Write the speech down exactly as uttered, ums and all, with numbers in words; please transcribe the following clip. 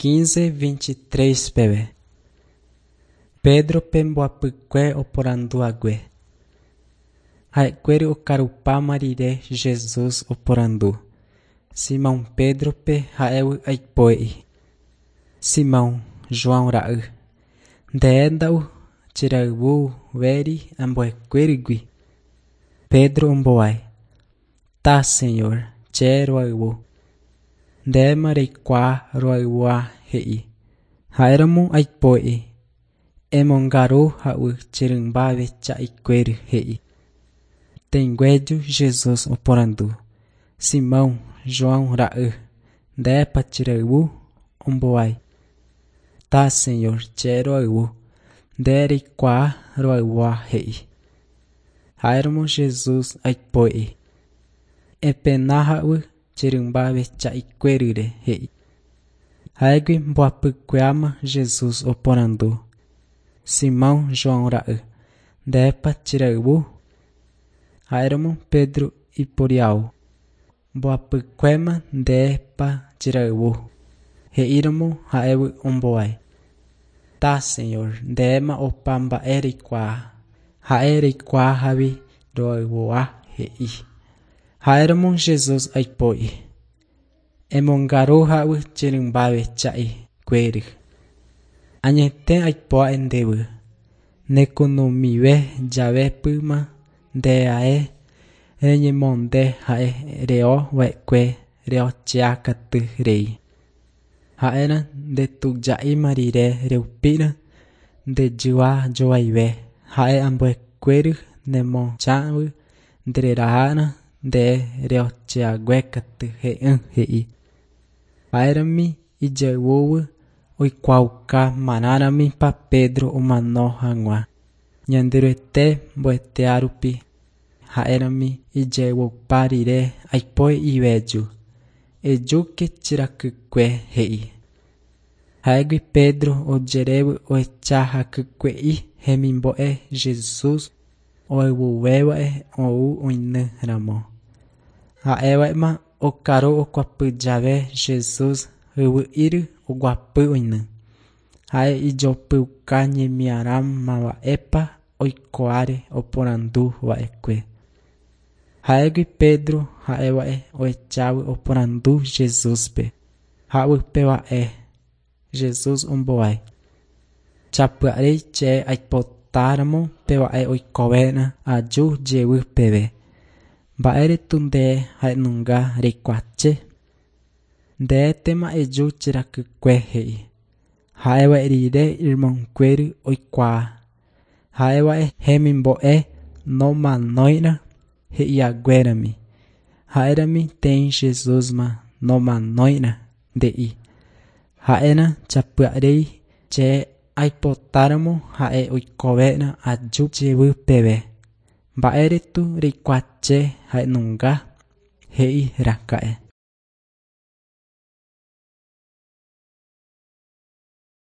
Quince vinte e tres peve. Pedro-pe mbohapykue oporanduhague. Ha'ekuéra okarupáma rire Jesús oporandu Simão Pedro-pe ha'égui aipo'i. Simão, João ra'y, ndénda'u cherayhuvéri ambuekuéragui. Pedro ombohovái. Tá, Senhor, che rohayhu. Ndéma reikuaa rohayhuha he'i. Ha'éramo aipo'i. Emongaru ha'u che rymba ovecha'ikuéra he'i. Tẽnguéju Jesús oporandu. Simão, João ra'y, ndépa cherayhu. Ombohovái. Tá, Senhor, che rohayhu. Nde reikuaa rohayhuha he'i. Ha'éramo Jesús aipo'i. Epena ha'u che rymba ovecha'ikuérare he'i. Ha'égui mbohapykuéma Jesús oporandu. Simão, João ra'y, ndépa cherayhu. Ha'éramo Pedro iporiahu. Mbohapykuéma ndépa cherayhu. He'íramo ha'égui ombohovái. Tá, Senhor, ndéma opa mba'e reikuaa. Ha'e reikuaahágui rohayhuha he'i. Ha'éramo Jesús aipo'i. Emongaru ha'u che rymba ovecha'ikuéra. Añete aipo'a'e ndéve. Nekunu'ũmive jave pyma ndeae reñemonde ha'e rehova'ekue reocheakãty rei. Ha'érã ndetuja'íma rire reupíra ndejyva jovaive ha'e ambuekuéra nemochãvy ndererahána nde reocheaguékatu he'ỹ he'i. Ha'érami ijayvúgui oikuaauka marãrãmipa Pedro omano hag̃ua. Ñanderuete mbo'eteárupi ha'érami ijayvupa rire aipo iveju. Ejúke che rakykue he'i. Ha'égui Pedro ojerévo ohecha hakykue'i hemimbo'e Jesús ohayhuvéva'e ou oinyramo. Ha'éva'éma okaru okuapy jave Jesús hyvy'íre oguapy oiny. Ha'e ijopyuka ñemiharã mba'épa oikóhare oporanduva'ekue. Ha'égui Pedro ha'éva'e ohechávo oporandu Jesúspe. Ha upéva'e Jesús ombohovái. Chapy'arei che aipotáramo peva'e oikovéna aju jevy peve. Mba'éretu nde ha'enunga reikuaache. Ndétema eju che rakykue he'i. Ha'éva'e rire irmãnguéra oikuaa. Ha'éva'e hemimbo'e nomanóirã he'ihaguérami. Ha'érami teĩ Jesúsma nomanóirã nde'i. Ha'érã chapy'arei che aipotáramo ha'e oikovéna aju jevy peve. Mba'éretu reikuaache ha'enunga he'i raka'e.